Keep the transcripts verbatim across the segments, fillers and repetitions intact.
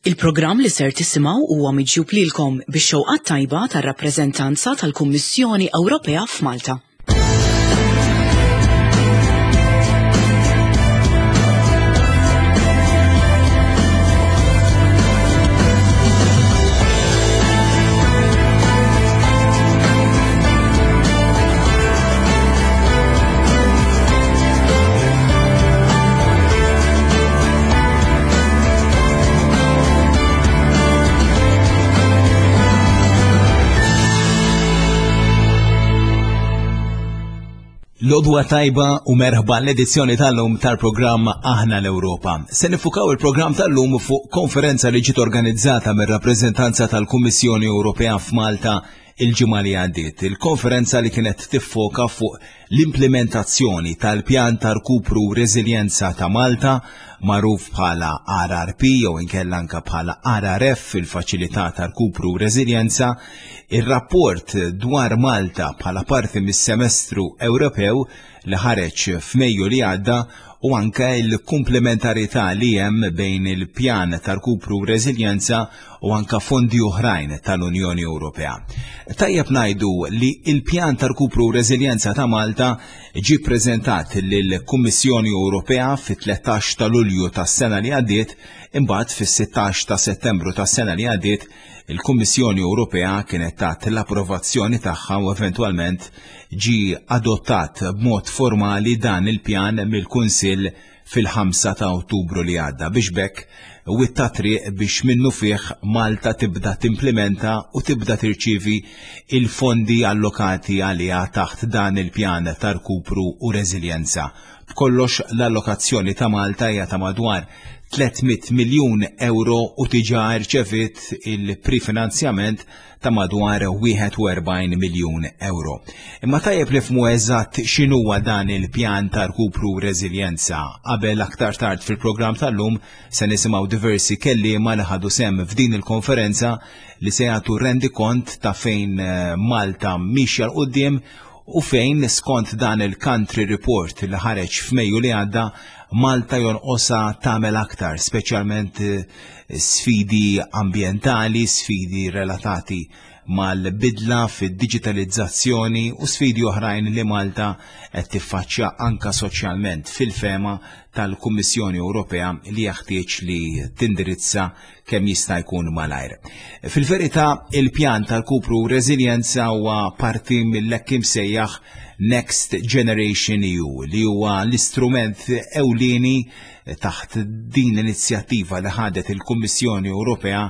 Il-programm li ser tisimgħu huwa miġjub lilkom bix-xewqat tajba tar-rappreżentanza tal-Kummissjoni Ewropea f'Malta. L-għodwa tajba u merħba l-edizzjoni tal-lum tal-programm Aħna l-Ewropa. Se nifukaw il-programm tal-lum fuq konferenza li ġiet organizzata mir-rappreżentanza tal-Kummissjoni Ewropea f'Malta il-ġimgħa li għaddiet. Il-konferenza li kienet tiffoka fuq l-implementazzjoni tal-pjan ta' rkupru u reżiljenza ta' Malta, magħruf bħala R R P jew inkella anka bħala R R F, il-Faċilità ta' Rkupru u Reżiljenza, ir-rapport dwar Malta bħala parti mis-semestru Ewropew li ħareġ f'Mejju li għadda u anke l-komplementarità li hemm bejn il-pjan ta' rkupru u reżiljenza u anka fondi oħrajn tal-Unjoni Ewropea. Tajjeb ngħidu li il-pjan ta' rkupru u reżiljenza ta' Malta ġie preżentat lill-Kummissjoni Ewropea fit-tlettax ta' Lulju tas-sena li għaddiet, imbagħad fis-sittax ta' Settembru tas-sena li għaddiet il-Kummissjoni Ewropea kienet tat l-approvazzjoni tagħha u eventwalment ġie adottat b'mod formali dan il-pjan mill-Kunsill fil-ħamsa ta' Ottubru li għadda biex b'hekk witta triq biex minnu fih Malta tibda timplementa u tibda tirċivi il-fondi allokati għaliha taħt dan il-pjan ta' rkupru u reżiljenza. B'kollox l-allokazzjoni ta' Malta hija ta' madwar tliet mitt miljun euro u diġà rċevit il-prefinanzjament ta' madwar wieħed u erbgħin miljun euro. Imma tajjeb nifhmu eżatt x'inhuwa dan il-pjan ta' rkupru u reżiljenza. Qabel aktar tard fil-programm tal-lum se nisimgħu diversi kelliema li ħadu sehem f'din il-konferenza li se jagħtu rendikont ta' fejn eh, Malta mixja 'l quddiem u fejn skont dan il-country report li ħareġ f'Mejju li għadda Malta jonqosha tagħmel aktar, speċjalment eh, sfidi ambjentali, sfidi relatati mal-bidla fid-digitalizzazzjoni u sfidi oħrajn li Malta qed tiffaċċja anka soċjalment fil-fehma tal-Kummissjoni Ewropea li jeħtieġ li tindirizza kemm jista' jkun malajr. Fil-verità, il-pjan tal-rkupru u reżiljenza huwa parti mill-hekk imsejjaħ Next Generation E U li huwa l-istrument ewlieni taħt din l-inizjattiva li ħadet il-Kummissjoni Ewropea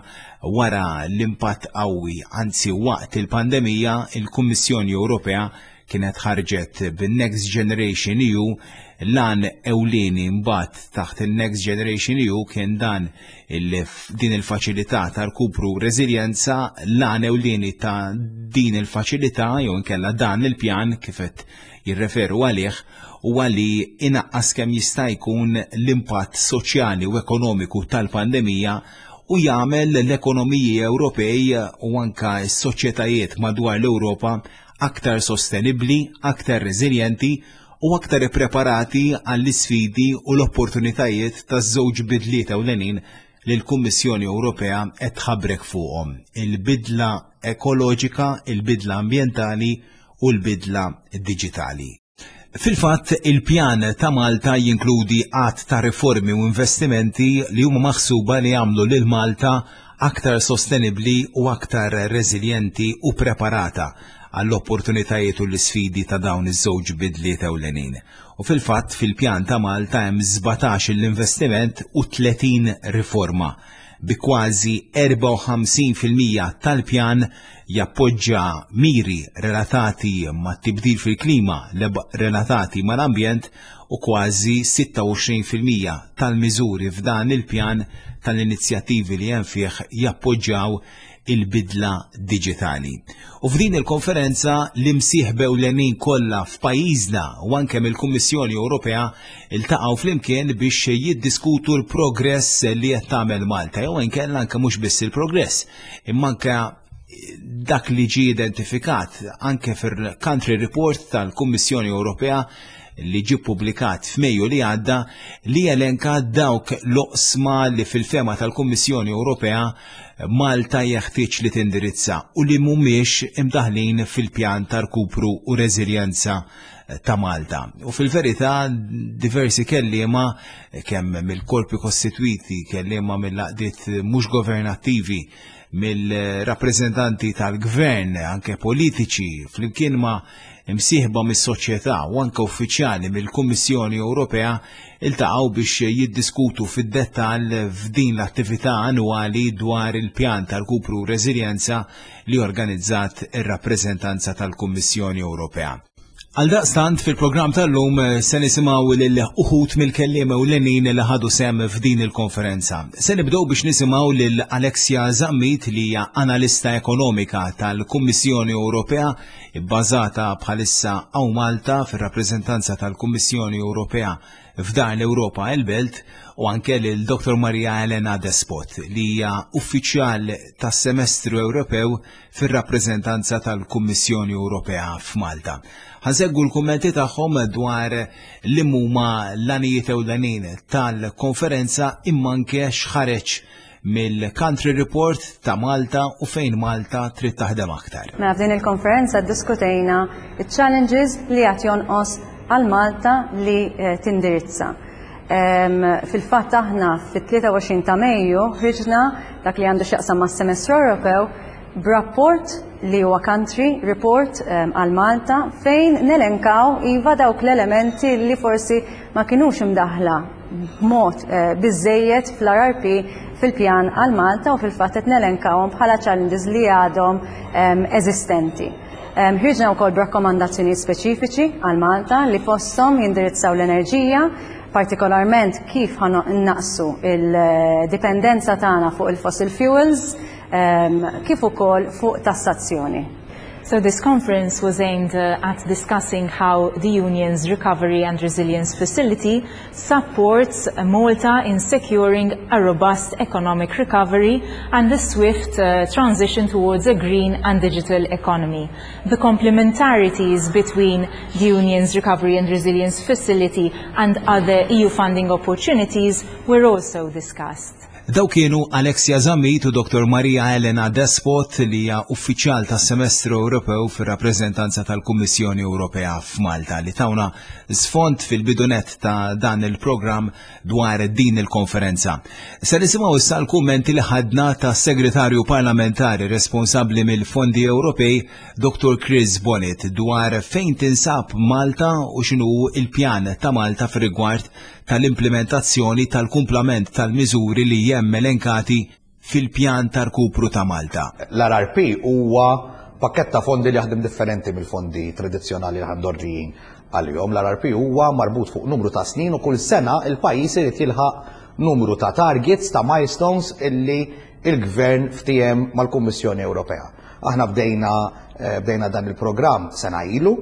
wara l-impatt qawwi, anzi waqt il-pandemija, il-Kummissjoni Ewropea kienet ħarġet bin-Next Generation E U. L-għan ewlieni mbagħad taħt il-Next Generation E U kien dan il din il-faċilità ta' rkupru u reżiljenza. L-għan ewlieni ta' din il-faċilità jew inkella dan il-pjan kif qed jirreferu għalih huwa li inaqqas kemm jista' jkun l-impatt soċjali u ekonomiku tal-pandemija u jagħmel l-ekonomiji Ewropej u anka s-soċjetajiet madwar l-Ewropa aktar sostenibbli, aktar reżiljenti u aktar ippreparati għall-isfidi u l-opportunitajiet taż-żewġ bidliet ewlenin li l-Kummissjoni Ewropea qed tħabrek fuqhom: il-bidla ekoloġika, il-bidla ambjentali u l-bidla diġitali. Fil-fatt, il-pjan ta' Malta jinkludi għadd ta' riformi u investimenti li huma maħsuba li jagħmlu lil Malta aktar sostenibli u aktar reżiljenti u preparata għall-opportunitajiet u l-isfidi ta' dawn iż-żewġ bidliet ewlenin. U fil-fatt fil-pjan ta' Malta hemm sbatax l-investiment u tletin riforma, bi kważi erbgħa u ħamsin fil-mija tal-pjan jappoġġa miri relatati ma' tibdil fil-klima, relatati mal-ambjent, u kważi sitta u għoxrin fil-mija tal-miżuri f'dan il-pjan, tal-inizjattivi li hemm fih, jappoġġjaw il-bidla diġitali. U f'din il-konferenza l-imsieħba ewlenin kollha f'pajjiżna u anke mill-Kummissjoni Ewropea iltaqgħu flimkien biex jiddiskutu l-progress li qed tagħmel Malta jew inkella anke mhux biss il-progress, imma anke dak li ġie identifikat anke fil-country report tal-Kummissjoni Ewropea li ġie ppubblikat f'Mejju li għadda, li jelenka dawk l-oqsma li fil-fehma tal-Kummissjoni Ewropea Malta jeħtieġ li tindirizza u li mhumiex imdaħlin fil-pjan ta' rkupru u reżiljenza ta' Malta. U fil-verità diversi kelliema, kemm mill-korpi kostitwiti, kelliema mill-għaqdiet mhux governattivi, mill-rappreżentanti tal-gvern, anke politiċi, flimkien ma' imsieħba mis-soċjetà u anke uffiċjali mill-Kummissjoni Ewropea, iltaqgħu biex jiddiskutu fid-dettall f'din l-attività annwali dwar il-pjan tal-rkupru u reżiljenza li organizzat ir-rappreżentanza tal-Kummissjoni Ewropea. Għaldaqstant, fil-programm tal-lum se nisimgħu lil uħud mill-kelliema ewlenin li ħadu sehem f'din il-konferenza. Se nibdew biex nisimgħu lil Alexia Zammit, li hija analista ekonomika tal-Kummissjoni Ewropea bbażata bħalissa hawn Malta fir-rappreżentanza tal-Kummissjoni Ewropea f'Dar l-Ewropa il-Belt, u anke lil Dottor Maria Elena Despot, li hija uffiċjal tas-Semestru Ewropew fir-rappreżentanza tal-Kummissjoni Ewropea f'Malta. Ħa nsegwu l-kummenti tagħhom dwar li huma l-għanijiet ewlenin tal-konferenza, imma anke x'ħareġ mill-Country Report ta' Malta u fejn Malta trid taħdem aktar. Mela, f'din il-konferenza ddiskutejna il-challenges li għad jonqos għal Malta li eh, tindirizza. Fil-fatt aħna fit-tlieta u għoxrin ta' Mejju ħriġna dak li għandu x'jaqsam mas-Semestru Ewropew b'rapport li huwa country report għal Malta, fejn nelenkaw iva dawk l-elementi li forsi ma kienux imdaħla b'mod eh, biżejjed fl-R R P, fil-pjan għal Malta, u fil-fatt qed nelenkawhom bħala challenges li għadhom eżistenti. Ħriġna wkoll b'rakkomandazzjoni speċifiċi għal Malta li fosthom jindirizzaw l-enerġija, partikolarment kif ħa nnaqqsu il-dipendenza tagħna fuq il-fossil fuels, kif ukoll fuq tassazzjoni. So this conference was aimed uh, at discussing how the Union's Recovery and Resilience Facility supports Malta in securing a robust economic recovery and the swift uh, transition towards a green and digital economy. The complementarities between the Union's Recovery and Resilience Facility and other E U funding opportunities were also discussed. Dawk kienu Alexia Zammit u Dottor Maria Elena Despot, li hija uffiċjal tas-Semestru Ewropew fir-rappreżentanza tal-Kummissjoni Ewropea f'Malta, li tawna sfond fil-bidu nett ta' dan il-programm dwar din il-konferenza. Se nisimgħu issa l-kummenti li ħadna tas-Segretarju Parlamentari responsabbli mill-Fondi Ewropej, Dottor Chris Bonnet, dwar fejn tinsab Malta u x'inhu il-pjan ta' Malta fir-rigward tal-implementazzjoni tal-kumplament tal-miżuri li hemm elenkati fil-pjan ta' rkupru ta' Malta. L-R R P huwa pakket ta' fondi li jaħdem differenti mill-fondi tradizzjonali li mdorrijin għalihom. L-R R P huwa marbut fuq numru ta' snin u kull sena il-pajjiż irid jilħaq numru ta' targets, ta' milestones illi il-gvern ftiehem mal-Kummissjoni Ewropea. Aħna bdejna eh, bdejna dan il-programm sena ilu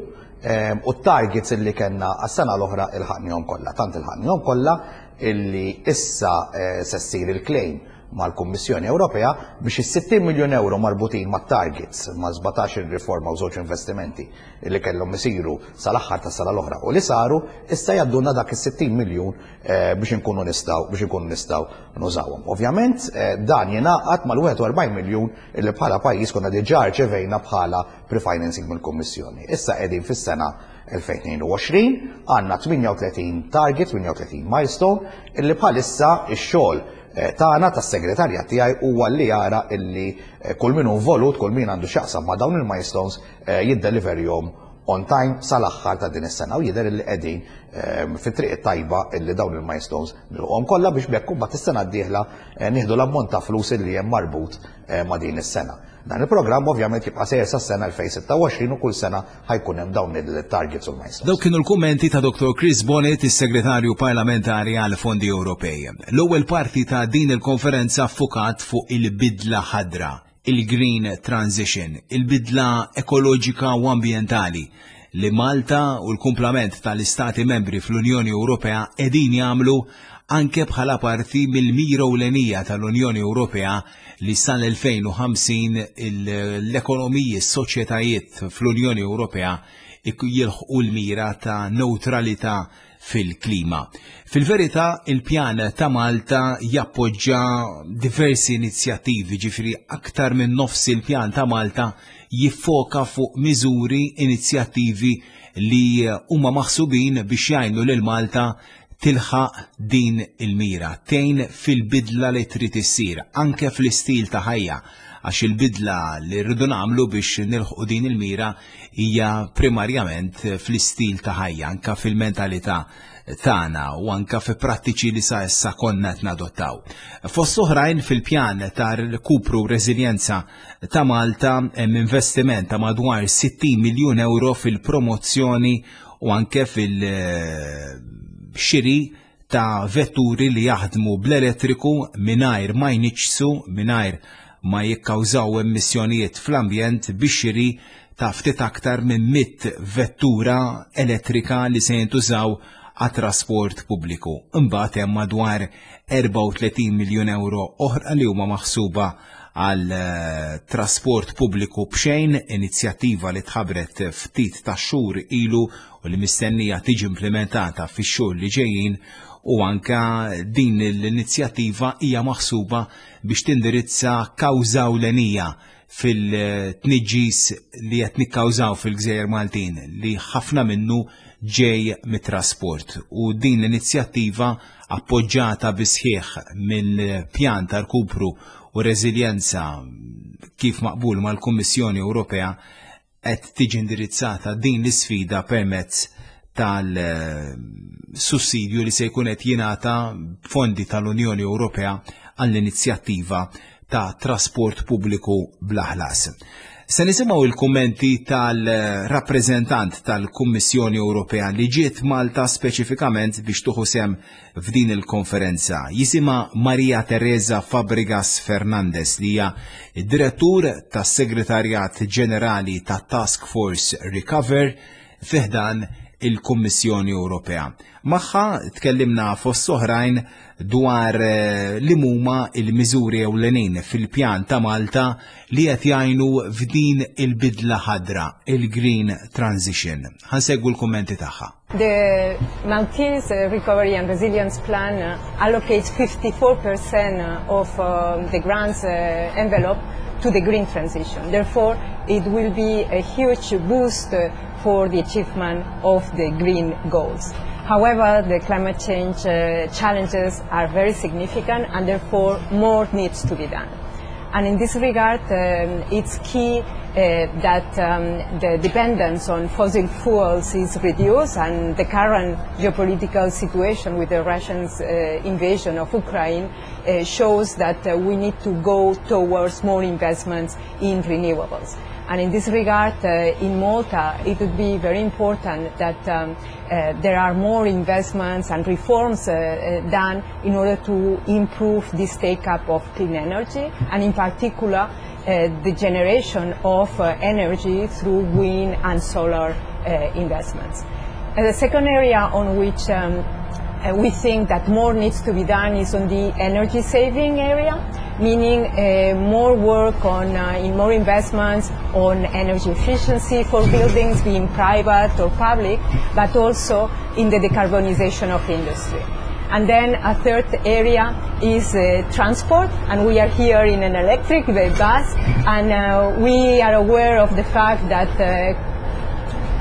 eh, u t-targets illi kellna għas-sena l-oħra ilħaqnihom kollha. Tant ilħaqnihom kollha illi issa eh, se ssir il-claim mal-Kummissjoni Ewropea biex is-sittin miljun euro marbutin ma' targets, ma' sbatax il-riforma u żewġ investimenti illi kellhom isiru sal-aħħar tas-sena l-oħra u li saru, issa jgħaddulna dak is-sittin miljun eh, biex inkunu nistgħu biex inkunu nistgħu nużawhom. Ovvjament eh, dan jingħaqad mal-wieħed u erbgħin miljun illi bħala pajjiż konna diġà rċevejna bħala pre-financing mill-Kummissjoni. Issa qegħdin fis-sena elfejn u tnejn u għoxrin, għandna tmienja u tletin target, tmienja u tletin milestone illi bħalissa ix-xogħol eh, tagħna, tas-segretarjat tiegħi, huwa li jara illi eh, kull min hu involut, kull min għandu x'jaqsam ma' dawn il-milestones eh, jiddeliverjhom on time sal-aħħar ta' din is-sena, u jidher illi qegħdin fit-triq tajba illi dawn il-milestones nilħquhom kollha biex b'hekk imbagħad is-sena d-dieħla nieħdu l-ammont ta' flus illi hemm marbut ma' din is-sena. Dan il-programm ovvjament jibqa' sejjer sas-sena elfejn u sitta u għoxrin u kull sena ħa jkun hemm dawn il-targets u l-milestones. Dawk kienu l-kummenti ta' Dottor Chris Bonnet, is-Segretarju Parlamentari għal Fondi Ewropej. L-ewwel parti ta' din il-konferenza ffukat fuq il-bidla ħadra, il-Green Transition, il-bidla ekoloġika u ambjentali li Malta u l-kumplament tal-Istati membri fl-Unjoni Ewropea qegħdin jagħmlu, anke bħala parti mill-mira ewlenija tal-Unjoni Ewropea li sal-elfejn u ħamsin l-ekonomiji, s-soċjetajiet fl-Unjoni Ewropea jilħqu l-mira ta' neutralità fil-klima. Fil-verità, il-pjan ta' Malta jappoġġa diversi inizjattivi, ġifieri aktar minn nofs il-pjan ta' Malta jiffoka fuq miżuri, inizjattivi li huma maħsubin biex jgħinu lil Malta tilħaq din il-mira, tgħin fil-bidla li trid issir, anke fl-istil ta' ħajja, għax il-bidla li rridu nagħmlu biex nilħqu din il-mira hija primarjament fl-istil ta' ħajja, anke fil-mentalità tagħna u anke fi prattiċi li sa issa konna qed nadottaw. Fost oħrajn, fil-pjan ta' rkupru u reżiljenza ta' Malta hemm investiment ta' madwar sittin miljun euro fil-promozzjoni u anke fil-xiri ta' vetturi li jaħdmu bl-elettriku mingħajr ma jniġġsu, mingħajr ma jikkawżaw emissjonijiet fl-ambjent, bix-xiri ta' ftit aktar minn mitt vettura elettrika li se jintużaw għat-trasport pubbliku. Imbagħad hemm madwar erbgħa u tletin miljun euro oħra li huma maħsuba għal eh, trasport pubbliku b'xejn, inizjattiva li tħabbret ftit ta' xhur ilu u li mistennija tiġi implementata fix-xhur li ġejjin, u anka din l-inizjattiva hija maħsuba biex tindirizza kawża ewlenija fil-tniġġis li qed nikkawżaw fil-Gżejjer Maltin, li ħafna minnu ġej mit-trasport. U din l-inizjattiva, appoġġata bis-sħiħ mill-pjan ta' rkupru u reżiljenza kif maqbul mal-Kummissjoni Ewropea, qed tiġi indirizzata din l-isfida permezz tal-sussidju li se jkun qed jingħata fondi tal-Unjoni Ewropea għall-inizjattiva ta' trasport pubbliku bla ħlas. Se nisimgħu il-kummenti tal-rappreżentant tal-Kummissjoni Ewropea li ġiet Malta speċifikament biex tieħu sehem f'din il-konferenza. Jisimha Maria Teresa Fabregas Fernandez, li hija direttur tas-Segretarjat Ġenerali ta' Task Force Recover fi ħdan il-Kummissjoni Ewropea. Magħha tkellimna fost oħrajn dwar eh, li huma il-miżuri ewlenin fil-pjan ta' Malta li qed jgħinu f'din il-bidla ħadra, il-Green Transition. Ħa nsegwu l-kummenti tagħha. The Maltese uh, Recovery and Resilience Plan uh, allocates fifty-four percent of uh, the grants uh, envelope to the green transition. Therefore, it will be a huge boost uh, for the achievement of the green goals. However, the climate change uh, challenges are very significant and therefore more needs to be done. And in this regard, um, it's key uh, that um, the dependence on fossil fuels is reduced, and the current geopolitical situation with the Russian uh, invasion of Ukraine uh, shows that uh, we need to go towards more investments in renewables. And in this regard, uh, in Malta, it would be very important that um, uh, there are more investments and reforms uh, uh, done in order to improve this take-up of clean energy, and in particular, uh, the generation of uh, energy through wind and solar uh, investments. And the second area on which um, uh, we think that more needs to be done is on the energy saving area, meaning uh, more work on uh, in more investments on energy efficiency for buildings, being private or public, but also in the decarbonization of industry. And then a third area is uh, transport, and we are here in an electric bus, and uh, we are aware of the fact that uh,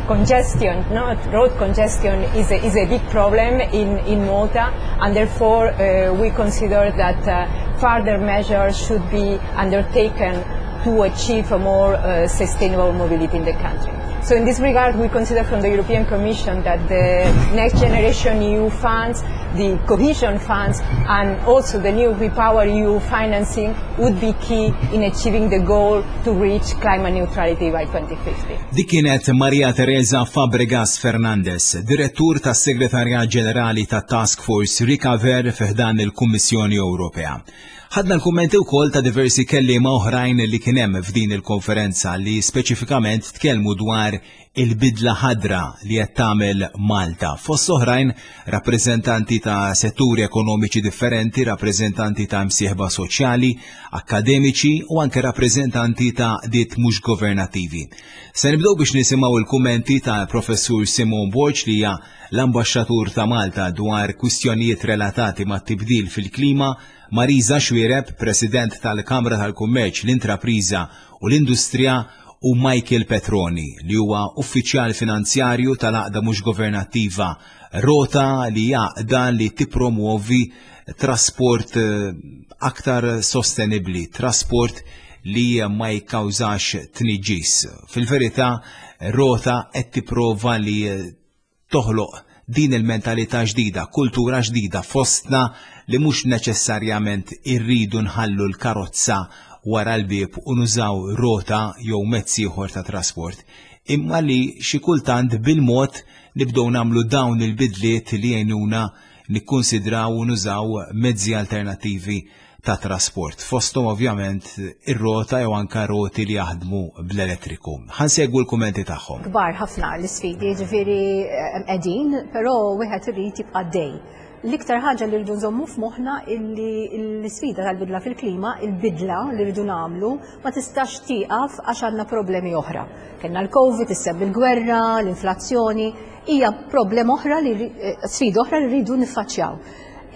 congestion, no, road congestion is a, is a big problem in, in Malta, and therefore uh, we consider that uh, further measures should be undertaken to achieve a more uh, sustainable mobility in the country. So in this regard, we consider from the European Commission that the Next Generation E U funds, the cohesion funds, and also the new Repower E U financing would be key in achieving the goal to reach climate neutrality by twenty fifty. Dik kienet Maria Teresa Fabregas Fernandez, direttur tas Segretarjat Ġenerali ta' Task Force Recover fi ħdan il-Kummissjoni Ewropea. Ħadna l-kummenti wkoll ta' diversi kelliema oħrajn li kien hemm f'din il-konferenza li speċifikament tkellmu dwar il-bidla ħadra li qed tagħmel Malta. Fost oħrajn rappreżentanti ta' setturi ekonomiċi differenti, rappreżentanti ta' msieħba soċjali, akademiċi u anke rappreżentanti ta' għaqdiet mhux governattivi. Se nibdew biex nisimgħu il-kummenti ta' Professur Simone Borg, li hija l-ambaxxatur ta' Malta dwar kwistjonijiet relatati ma' tibdil fil-klima, Marisa Xuereb, President tal-Kamra tal-Kummerċ, l-Intrapriża u l-Industrija, u Michael Petroni, li huwa uffiċjal finanzjarju tal-għaqda mhux governattiva Rota, li għaqda li tippromuovi trasport eh, aktar sostenibli, trasport li ma jikkawżax tniġġis. Fil-verità, Rota qed tipprova li toħloq din il-mentalità ġdida, kultura ġdida fostna li mhux neċessarjament irridu nħallu l-karozza wara l-bieb u nużaw rota jew mezz ieħor ta' trasport, imma li xi kultant bil-mod nibdew nagħmlu dawn il-bidliet li jgħinuna nikkonsidraw u nużaw mezzi alternattivi ta' trasport. Fosthom ovvjament ir-rota jew anka roti li jaħdmu bl-elettriku. Ħa nsegwu l-kummenti tagħhom. Kbar ħafna l-isfidi, ġifieri qegħdin, però wieħed irid jibqa' dej. L-iktar ħaġa li rridu nżommu f'moħħna illi l-isfida tal-bidla fil-klima, il-bidla li rridu nagħmlu, ma tistax tieqaf għax għandna problemi oħra. Kellna l-Covid, isseb il-gwerra, l-inflazzjoni, hija problema oħra li sfida oħra li rridu niffaċċjaw.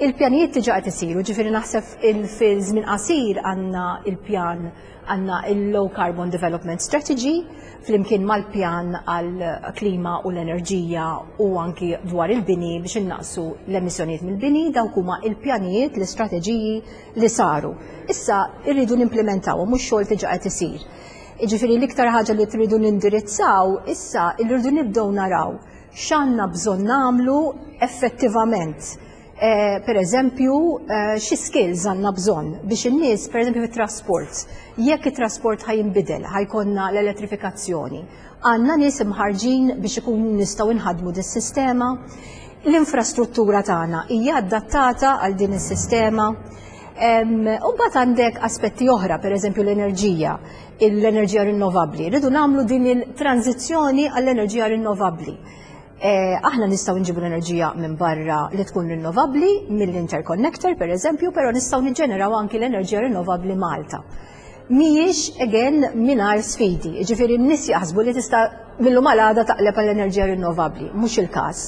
Il-pjanijiet diġà qed isiru, ġifieri naħseb fil-żmien qasir għandna il-pjan, għandna il-Low Carbon Development Strategy flimkien mal-pjan għal-klima u l-enerġija u anki dwar il-bini biex innaqsu l-emissjonijiet mill-bini. Dawk huma il-pjanijiet, l-istrateġiji li saru. Issa irridu nimplementaw, mhux xogħol diġà qed isir. Ġifieri l-iktar ħaġa li tridu nindirizzaw issa, irridu nibdew naraw x'għandna bżonn nagħmlu effettivament. Eh, per eżempju, eh, xi skills għandna bżonn biex in-nies, per eżempju, fit-trasport, jekk it-trasport ħa jinbidel, ħa jkollna l-elettrifikazzjoni, għandna nies imħarġin biex ikun nistgħu nħadmu dis-sistema? L-infrastruttura tagħna hija adattata għal din is-sistema? U mbagħad għandek aspetti oħra, per eżempju l-enerġija, l-enerġija rinnovabbli. Rridu nagħmlu din il-tranzizzjoni għall-enerġija rinnovabbli. Eh, aħna nistgħu nġibu l-enerġija minn barra li tkun rinnovabbli, mill-interconnector per eżempju, però nistgħu niġġeneraw anki l-enerġija rinnovabbli Malta. Mhijiex again mingħajr sfidi, ġifieri n-nies jaħsbu li tista' mil-lum għal għada taqleb għall-enerġija rinnovabbli, mhux il-każ.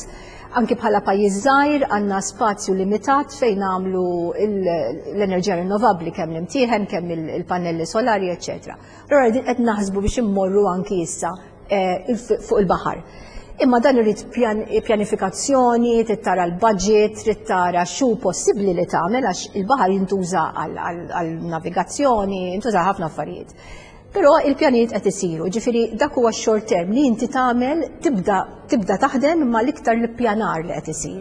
Anki bħala pajjiż żgħir għandna spazju limitat fejn nagħmlu l-enerġija rinnovabbli, kemm l-imtieħen, kemm il-pannelli solari, eċċetera. Allura qed naħsbu biex immorru anki issa eh, fuq il-baħar. Imma dan irid pjanifikazzjoni, trid tara l-budget, trid tara x'hu possibbli li tagħmel, għax il-baħar jintuża għal-navigazzjoni, jintuża ħafna affarijiet. Però il-pjanijiet qed isiru, ġifieri dak huwa short term li inti tagħmel, tibda tibda taħdem, imma l-iktar l-ippjanar li qed isir.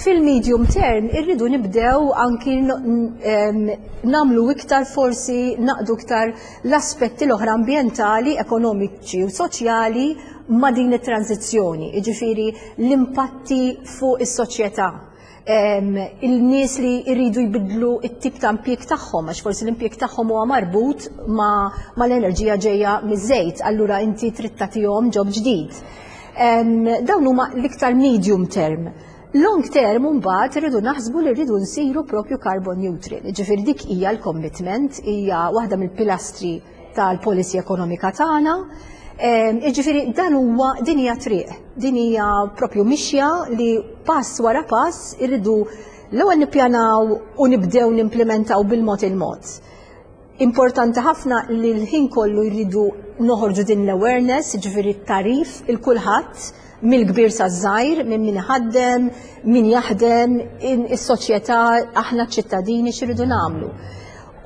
Fil-medium term irridu nibdew anki nagħmlu iktar, forsi naqdu iktar l-aspetti l-oħra ambjentali, ekonomiċi u soċjali ma' din it-tranzizzjoni, jiġifieri l-impatti fuq is-soċjetà, il-nies li jridu jbidlu it-tip ta' impjieg tagħhom, għax forsi l-impjieg tagħhom huwa marbut ma' l-enerġija ġejja miż-żejt, allura inti trid tagħtihom job ġdid. Dawn huma l-iktar medium term. Long term mbagħad irridu naħsbu li rridu nsiru propju carbon neutral. Ġifieri dik hija l-commitment, hija waħda mill-pilastri tal-policy ekonomika tagħna. Ġifieri dan huwa, din hija triq, din hija propju mixja li pass wara pass irridu l-ewwel nippjanaw u nibdew nimplementaw bil-mod il-mod. Importanti ħafna li l-ħin kollu jridu noħorġu din l-awareness, ġifieri t-tagħrif lil kulħadd, mill-kbir sa żgħir, minn min ħaddem, min jaħdem, is-soċjetà, aħna ċittadini x'iridu nagħmlu.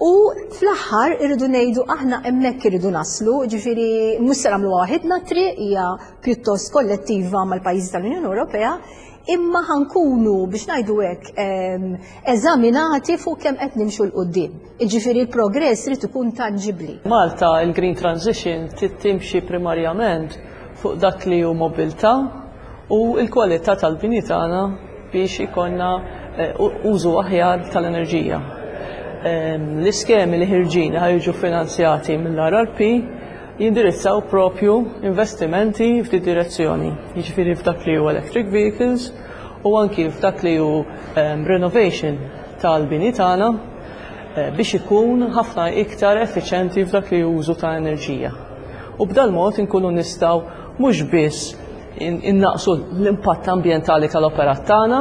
U fl-aħħar irridu ngħidu aħna hemmhekk irridu naslu, ġifieri mhux se nagħmlu waħidna, triq hija pjuttost kollettiva mal-pajjiżi tal-Unjoni Ewropea, imma ħa nkunu, biex ngħidu hekk, eżaminati fuq kemm qed nimxu 'l quddiem. Jiġifieri l-progress irid ikun tangibbli. Malta, il-Green Transition timxi primarjament fuq dak li hu mobilità u l-kwalità tal-bini tagħna biex ikollna eh, użu aħjar tal-enerġija. L-iskemi li ħerġin ħa jiġu finanzjati mill-R R P jindirizzaw propju investimenti f'di direzzjoni. Jiġifieri f'dak li hu electric vehicles u anki f'dak li hu renovation tal-bini tagħna eh, biex ikun ħafna iktar effiċenti f'dak li użu ta' enerġija. U b'dal mod inkunu nistgħu mhux biss innaqsu l-impatt ambjentali tal-operat tagħna,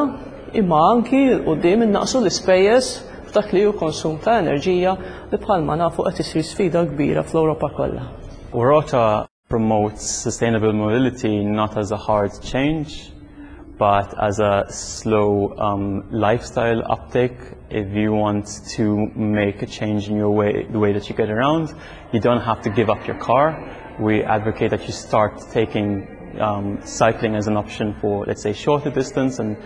imma anki 'l quddiem innaqsu l-ispejjeż f'dak li hu konsum ta' enerġija li bħalma nafu qed isir sfida kbira fl-Ewropa kollha. Rota promotes sustainable mobility not as a hard change, but as a slow um, lifestyle uptake. If you want to make a change in your way, the way that you get around, you don't have to give up your car. We advocate that you start taking um, cycling as an option for, let's say, shorter distance and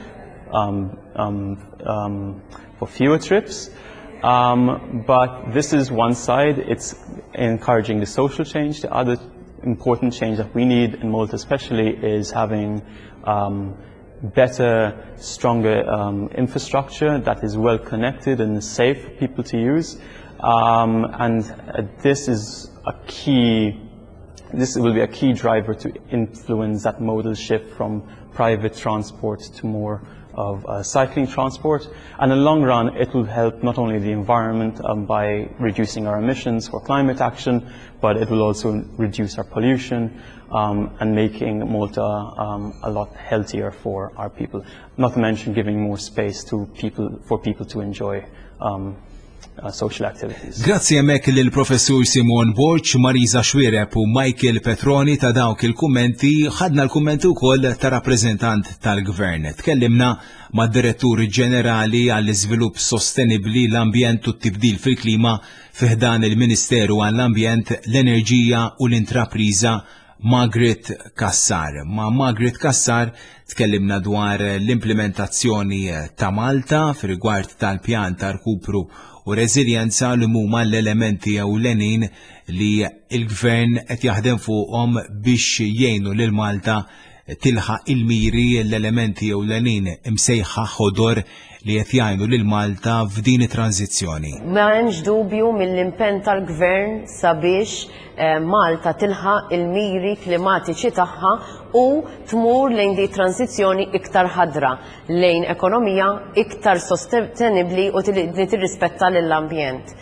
um, um, um, for fewer trips. Um, but this is one side, it's encouraging the social change. The other important change that we need in Malta especially is having um, better, stronger um, infrastructure that is well connected and safe for people to use. Um, and uh, this is a key, this will be a key driver to influence that modal shift from private transport to more of uh, cycling transport. And in the long run, it will help not only the environment um, by reducing our emissions for climate action, but it will also reduce our pollution um, and making Malta um, a lot healthier for our people. Not to mention giving more space to people, for people to enjoy um, uh, social activities. Grazzi hemmhekk lill-Professur Simon Borg, Marisa Xuereb u Michael Petroni ta' dawk il-kummenti. Ħadna l-kummenti wkoll ta' rappreżentant tal-Gvern. Tkellimna mad-Direttur Ġenerali għall-Iżvilupp Sostenibbli, l-Ambjent u t-Tibdil fil-Klima fi ħdan il-Ministeru għall-Ambjent, l-Enerġija u l-Intrapriża, Margaret Cassar. Ma' Margaret Cassar tkellimna dwar l-implementazzjoni ta' Malta fir-rigward tal-pjan ta' rkupru u reżiljenza, li huma l-elementi ewlenin li il-gvern qed jaħdem fuqhom biex jgħinu lil Malta tilħaq il-miri, l-elementi ewlenin imsejħa ħodor li qed jgħinu lil Malta f'din it-tranzizzjoni. Ma hemmx dubju mill-impenn tal-gvern sabiex eh, Malta tilħaq il-miri klimatiċi tagħha u tmur lejn di tranzizzjoni iktar ħadra, lejn ekonomija iktar sostenibli u li tirrispetta lill-ambjent.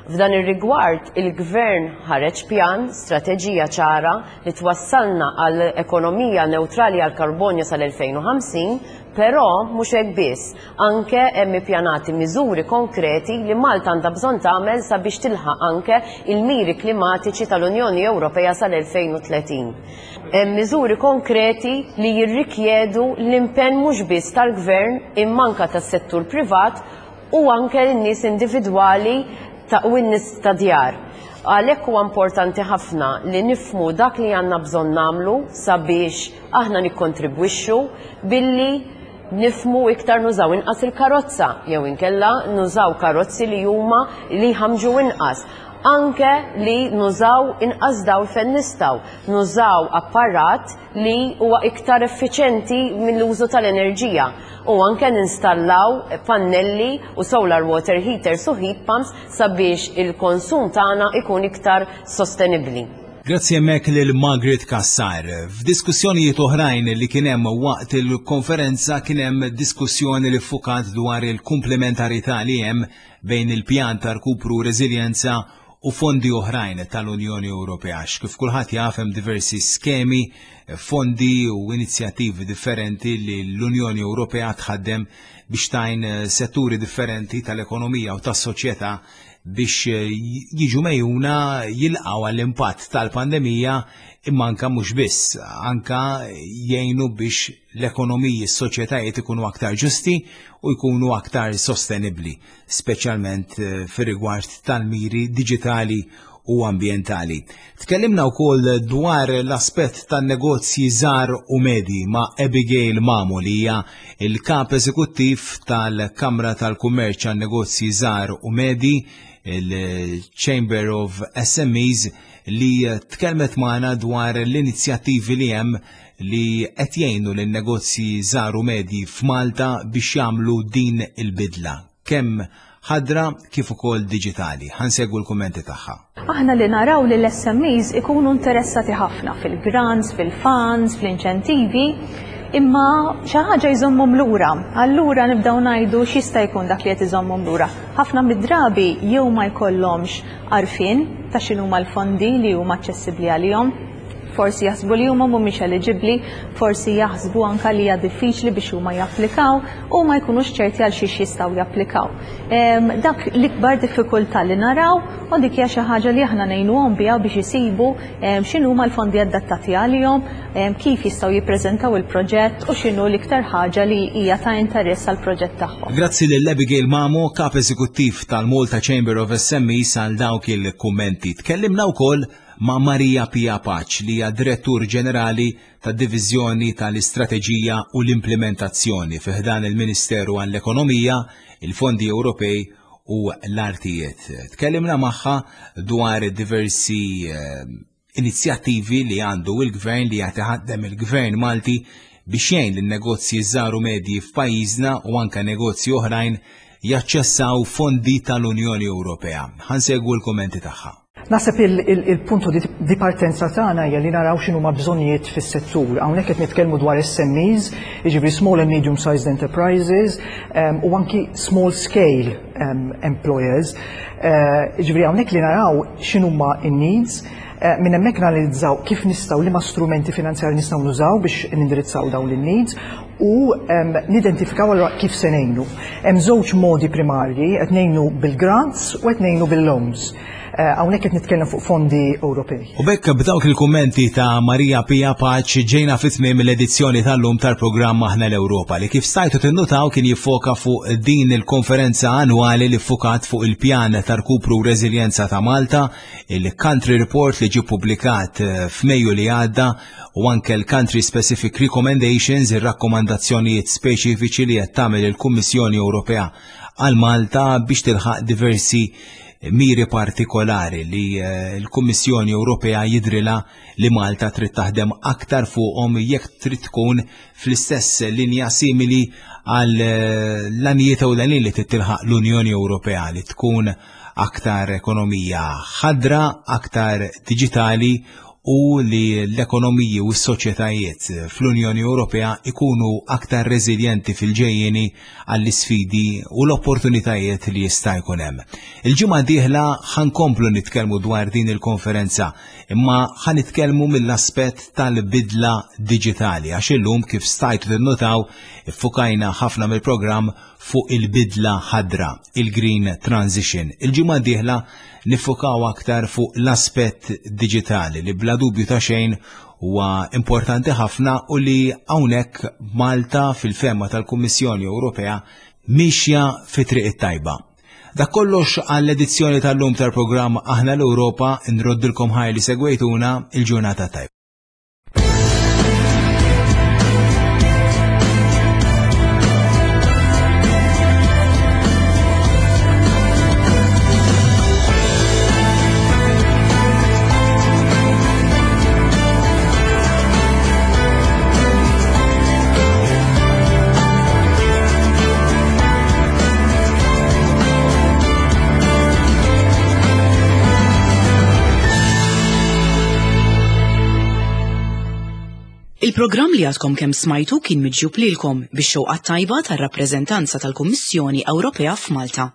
F'dan ir-rigward, il-gvern ħareġ pjan, strateġija ċara li twassalna għal ekonomija neutrali għal karbonju sal-elfejn u ħamsin, però mhux hekk biss, anke hemm ippjanati miżuri konkreti li Malta għandha bżonn tagħmel sabiex tilħaq anke il-miri klimatiċi tal-Unjoni Ewropea sal-elfejn u tletin. Hemm miżuri konkreti li jirrikjedu l-impenn mhux biss tal-gvern imma anke tas-settur privat u anke n-nies individwali ta' u n-nies ta' djar. Għalhekk huwa importanti ħafna li nifhmu dak li għandna bżonn nagħmlu sabiex aħna nikkontribwixxu billi nifhmu iktar nużaw inqas il-karozza jew inkella nużaw karozzi li huma li jħamġu inqas. Anke li nużaw inqas dawl fejn nistgħu, nużaw apparat li huwa iktar effiċenti mill-użu tal-enerġija u anke ninstallaw pannelli u solar water heaters u heat pumps sabiex il-konsum tagħna ikun iktar sostenibbli. Grazzi hemmhekk lil Margaret Cassar. F'diskussjonijiet oħrajn li kien hemm waqt il-konferenza, kien hemm diskussjoni li ffukat dwar il-komplementarità li hemm bejn il-pjan ta' rkupru reżiljenza u fondi oħrajn tal-Unjoni Ewropea. Kif kulħadd jaf, hemm diversi skemi, fondi u inizjattivi differenti li l-Unjoni Ewropea tħaddem biex tgħin setturi differenti tal-ekonomija u tas-soċjetà biex jiġu megħjuna jilqgħu għall-impatt tal-pandemija, imma anka mhux biss, anka jgħinu biex l-ekonomiji, s-soċjetajiet ikunu aktar ġusti u jkunu aktar sostenibli, speċjalment eh, fir-rigward tal-miri diġitali u ambientali. Tkellimna wkoll dwar l-aspett tan-negozji żgħar u medji ma' Abigail Mamo, li hija il-kap eżekuttiv tal-Kamra tal-Kummerċ għan-Negozji Żgħar u Medji, il-Chamber of S M Es, li tkellmet magħna dwar l-inizjattivi li hemm li qed jgħinu lin-negozji żgħar u medji f'Malta biex jagħmlu din il-bidla. Kemm ħadra kif ukoll diġitali. Ħa nsegwu l-kummenti tagħha. Aħna li naraw li l-S M Es ikunu interessati ħafna fil-grants, fil-funds, fl-inċentivi, imma xi ħaġa jżommhom lura. Allura nibdew ngħidu x'jista' jkun dak li qed iżommhom lura. Ħafna mid-drabi jew ma jkollhomx għarfien ta' x'inhuma l-fondi li huma aċċessibbli għalihom, forsi jaħsbu li huma mhumiex eligibbli, forsi jaħsbu anka li hija diffiċli biex huma japplikaw u ma jkunux ċerti għal xiex jistgħu japplikaw. Dak l-ikbar diffikultà li naraw u dik hija xi ħaġa li aħna ngħinuhom biha biex isibu x'inhuma l-fondi adattati għalihom, kif jistgħu jippreżentaw il-proġett u x'inhu l-iktar ħaġa li hija ta' interess għall-proġett tagħhom. Grazzi lil Abigail Mamo, kap eżekuttiv tal-Malta Chamber of S M Es, għal dawk il-kummenti. Tkellimna wkoll ma' Maria Pia Pace, li hija direttur ġenerali tad-Diviżjoni tal-Istrateġija u l-Implementazzjoni fi ħdan il-Ministeru għall-Ekonomija, il-Fondi Ewropej u l-Artijiet. Tkellimna magħha dwar diversi eh, inizjattivi li għandu il-gvern, li qed iħaddem il-gvern Malti biex jgħin lin-negozji żgħar u medji f'pajjiżna u anka negozji oħrajn jaċċessaw fondi tal-Unjoni Ewropea. Ħa nsegwu l-kommenti tagħha. Naħseb il-punto di partenza tagħna hija li naraw x'inhuma bżonnijiet fis-settur. Hawnhekk qed nitkellmu dwar S M Es, jiġifieri small and medium sized enterprises, um, u anki small scale um, employers. Uh, jiġifieri hawnhekk li naraw x'inhuma in-needs, uh, minn hemmhekk nanalizzaw kif nistgħu, liema strumenti finanzjari nistgħu nużaw biex nindirizzaw dawn in-needs u um, nidentifikaw allura kif se ngħinu. Hemm żewġ modi primarji: qed ngħinu bil-grants u qed ngħinu bil-loans. Eh, hawnhekk qed nitkellem fuq fondi Ewropej. U b'hekk, b'dawk il-kummenti ta' Maria Pia Pace, ġejna fit-tmiem l-edizzjoni tal-lum tal-programm Aħna l-Ewropa, li kif stajtu tinnutaw kien jiffoka fuq din il-konferenza annwali li ffukat fuq il-pjan ta' rkupru u reżiljenza ta' Malta, il-Country Report li ġie publikat eh, f'Mejju li għadda u anke l-Country Specific Recommendations, ir-rakkomandazzjonijiet speċifiċi li qed tagħmel il-Kummissjoni Ewropea għal Malta biex tilħaq diversi miri partikolari li eh, l-Kummissjoni Ewropea jidrilha li Malta trid taħdem aktar fuqhom jekk trid tkun fl-istess linja simili għal eh, l-għanijiet ewlenin li tilħaq l-Unjoni Ewropea, li tkun aktar ekonomija ħadra, aktar digitali u li l-ekonomiji u s-soċjetajiet fl-Unjoni Ewropea ikunu aktar reżiljenti fil-ġejjeni għall-isfidi u l-opportunitajiet li jista' jkun hemm. Il-ġimgħa dieħla ħa nkomplu nitkellmu dwar din il-konferenza, imma ħa nitkellmu mill-aspett tal-bidla diġitali, għax illum, kif stajtu tinnutaw, iffukajna ħafna mill-programm fuq il-bidla ħadra, il-Green Transition. Il-ġimgħa dieħla niffukaw aktar fuq l-aspett diġitali, li bla dubju ta' xejn huwa importanti ħafna u li hawnhekk Malta, fil-fehma tal-Kummissjoni Ewropea, mixja fi triq it-tajba. Dak kollox għall-edizzjoni tal-lum tal-programm Aħna l-Ewropa. Nroddilkom ħajr li segwejtuna. Il-ġurnata tajba. Il-programm li għadkom kemm smajtu kien miġjub lilkom bix-xewqa tajba tar-rappreżentanza tal-Kummissjoni Ewropea f'Malta.